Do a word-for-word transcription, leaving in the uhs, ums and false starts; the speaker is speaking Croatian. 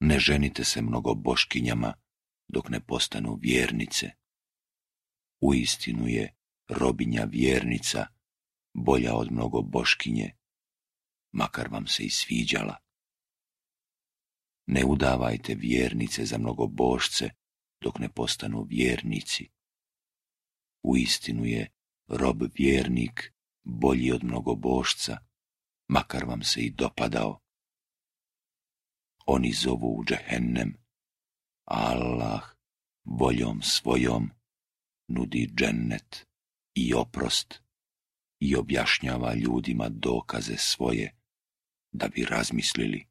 Ne ženite se mnogo boškinjama dok ne postanu vjernice. Uistinu je robinja vjernica bolja od mnogo boškinje, makar vam se i sviđala. Ne udavajte vjernice za mnogo bošce dok ne postanu vjernici. Uistinu je rob vjernik bolji od mnogo bošca, makar vam se i dopadao. Oni zovu u džehennem, a Allah voljom svojom nudi džennet i oprost i objašnjava ljudima dokaze svoje da bi razmislili.